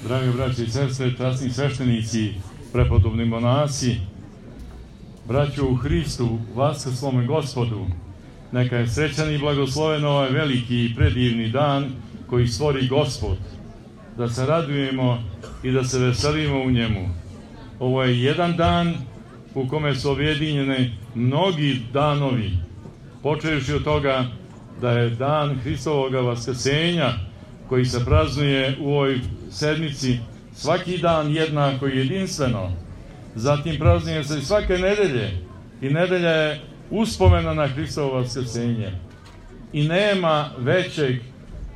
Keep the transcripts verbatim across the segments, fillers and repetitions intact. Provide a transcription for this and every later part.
Drage braće i sestre, časni sveštenici, prepodobni monasi, braćo u Hristu, vaskrslome Gospodu, neka je srećan i blagosloven ovaj veliki i predivni dan koji stvori Gospod, da se radujemo i da se veselimo u njemu. Ovo je jedan dan u kome su objedinjeni mnogi danovi, počevši od toga da je dan Hristovoga vaskrsenja, koji se praznuje u ovoj sedmici svaki dan jednako i jedinstveno. Zatim praznuje se i svake nedelje, i nedelja je uspomena na Hristovo vaskrsenje. I nema većeg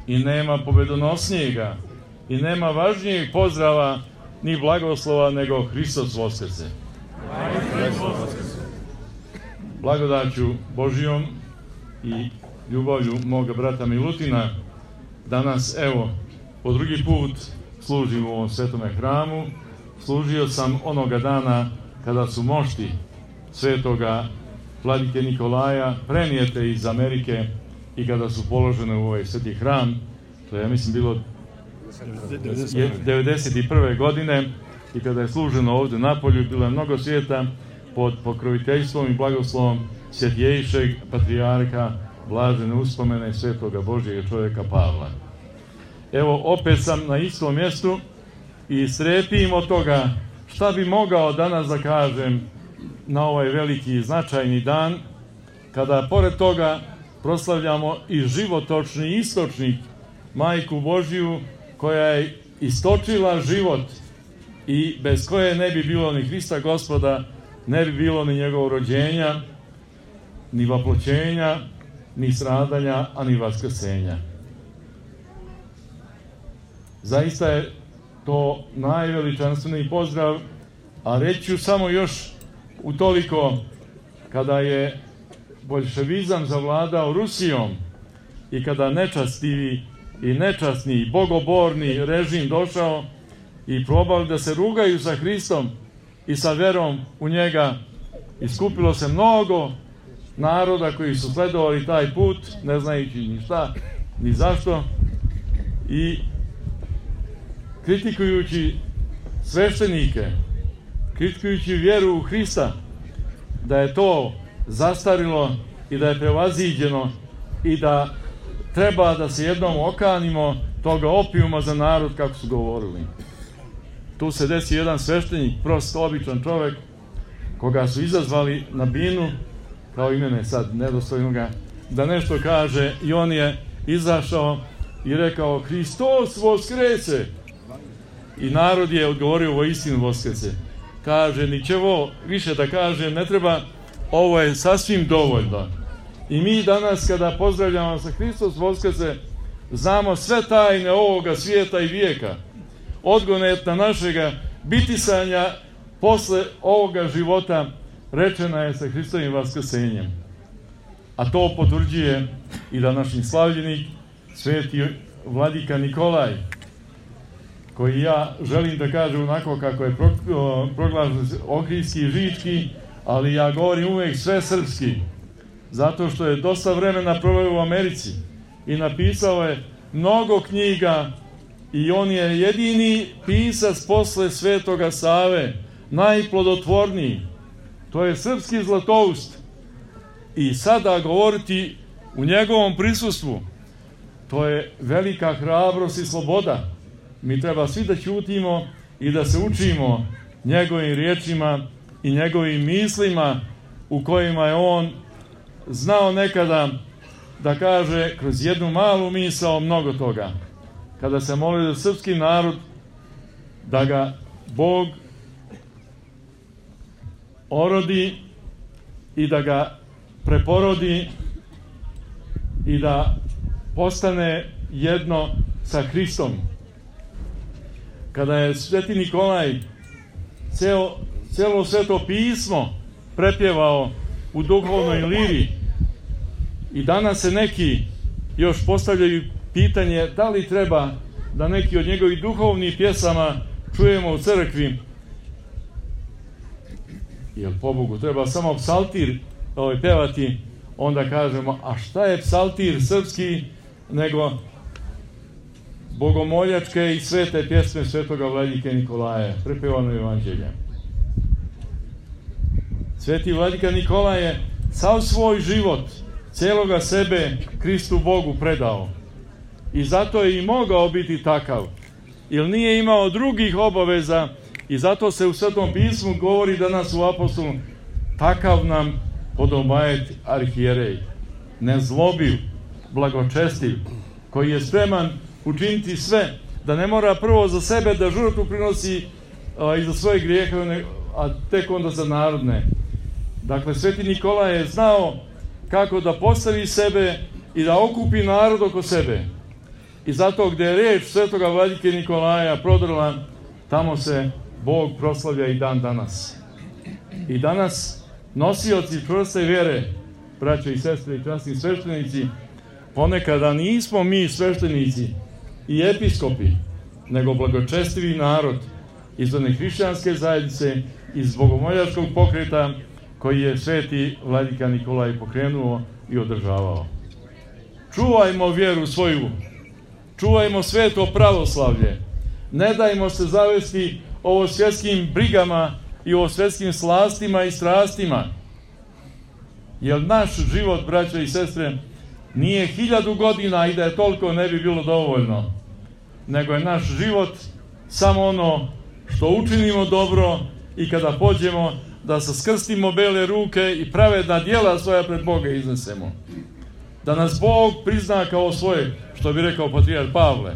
i nema pobedonosnijega i nema važnijeg pozdrava ni blagoslova nego Hristos vaskrse. Blagodaću Božijom i ljubavlju moga brata Milutina danas, evo, po drugi put služim u ovom svetome hramu. Služio sam onoga dana kada su mošti svetoga vladike Nikolaja prenijete iz Amerike i kada su položene u ovaj sveti hram. To je, ja mislim, bilo devedeset prve godine i kada je služeno ovde napolju, bilo je mnogo svijeta pod pokroviteljstvom i blagoslovom svjetijejšeg patrijarha blažene uspomene svetoga Božjega čovjeka Pavla. Evo, opet sam na istom mjestu i strepim od toga šta bi mogao danas da kažem na ovaj veliki i značajni dan, kada pored toga proslavljamo i životočni istočnik, Majku Božiju, koja je istočila život i bez koje ne bi bilo ni Hrista Gospoda, ne bi bilo ni njegovog rođenja, ni vaploćenja, ni stradanja, a ni vaskrsenja. Zaista je to najveličanstveniji pozdrav, a reći ću samo još utoliko, kada je boljševizam zavladao Rusijom i kada nečastivi i nečasni, bogoborni režim došao i probali da se rugaju sa Hristom i sa verom u njega, iskupilo se mnogo naroda koji su sledovali taj put, ne znajući ni šta, ni zašto, i kritikujući sveštenike, kritikujući vjeru u Hrista, da je to zastarilo i da je prevaziđeno i da treba da se jednom okanimo toga opijuma za narod, kako su govorili. Tu se desi jedan sveštenik, prost, običan čovek, koga su izazvali na binu, kao i mene sad, nedostojnoga, da nešto kaže, i on je izašao i rekao: Hristos voskrese! I narod je odgovorio: voistinu voskrese. Kaže: ničevo više da kaže ne treba, ovo je sasvim dovoljno. I mi danas, kada pozdravljamo sa Hristos voskrese, znamo sve tajne ovoga svijeta i vijeka, odgonetna našega bitisanja posle ovoga života rečena je sa Hristovim vaskrsenjem. A to potvrđuje i današnji slavljenik, sveti vladika Nikolaj, koji ja želim da kažem onako kako je proglašen ohridski i žički, ali ja govorim uvek sve srpski, zato što je dosta vremena proveo u Americi i napisao je mnogo knjiga i on je jedini pisac posle Svetoga Save, najplodotvorniji. To je srpski zlatoust. I sada govoriti u njegovom prisustvu, to je velika hrabrost i sloboda. Mi treba svi da ćutimo i da se učimo njegovim riječima i njegovim mislima, u kojima je on znao nekada da kaže kroz jednu malu misao mnogo toga. Kada se molio za srpski narod, da ga Bog orodi i da ga preporodi i da postane jedno sa Hristom. Kada je sveti Nikolaj celo, celo sveto pismo prepjevao u duhovnoj liri, i danas se neki još postavljaju pitanje da li treba da neki od njegovih duhovnih pjesama čujemo u crkvi. Jer pobogu treba samo psaltir ovaj, pevati, onda kažemo: a šta je psaltir srpski nego bogomoljačke i svete pjesme svetoga vladike Nikolaja, prepevano evanđelje. Sveti vladika Nikolaj je sav svoj život, cijeloga sebe Kristu Bogu predao. I zato je i mogao biti takav, jer nije imao drugih obaveza i zato se u Svetom pismu govori danas u apostolu: takav nam podobaje arhijerej, nezlobiv, blagočestiv, koji je spreman učiniti sve, da ne mora prvo za sebe da žrtvu prinosi a, i za svoje grijehe, a tek onda za narodne. Dakle, Sveti Nikolaj je znao kako da postavi sebe i da okupi narod oko sebe. I zato gdje je riječ svetoga vladike Nikolaja prodrla, tamo se Bog proslavlja i dan danas. I danas nosioci čvrste vjere, braće i sestre i časni sveštenici, ponekada nismo mi sveštenici i episkopi, nego blagočestivi narod iz one hrišćanske zajednice, iz bogomoljačkog pokreta koji je sveti vladika Nikolaj pokrenuo i održavao. Čuvajmo vjeru svoju, čuvajmo sveto pravoslavlje, ne dajmo se zavesti ovo svjetskim brigama i ovo svjetskim slastima i strastima, jer naš život, braće i sestre, nije hiljadu godina i da je toliko ne bi bilo dovoljno, nego je naš život samo ono što učinimo dobro i kada pođemo da se skrstimo bele ruke i pravedna djela svoja pred Boga iznesemo. Da nas Bog prizna kao svoje, što bi rekao patrijarh Pavle.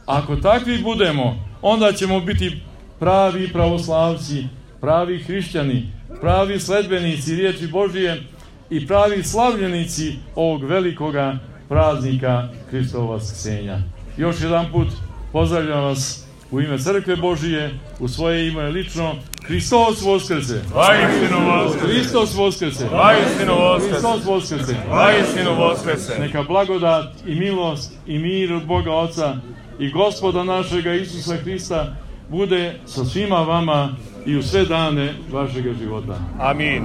Ako takvi budemo, onda ćemo biti pravi pravoslavci, pravi hrišćani, pravi sledbenici riječi Božije i pravi slavljenici ovog velikoga praznika Hristova vaskrsenja. Još jedan put pozdravljam vas u ime Crkve Božije, u svoje ime lično. Hristos Voskrese! Vaistinu Voskrese! Hristos Voskrese! Vaistinu Voskrese! Hristos Voskrese! Vaistinu Voskrese! Neka blagodat i milost i mir od Boga Oca i Gospoda našega Isusa Hrista bude sa svima vama i u sve dane vašega života. Amin.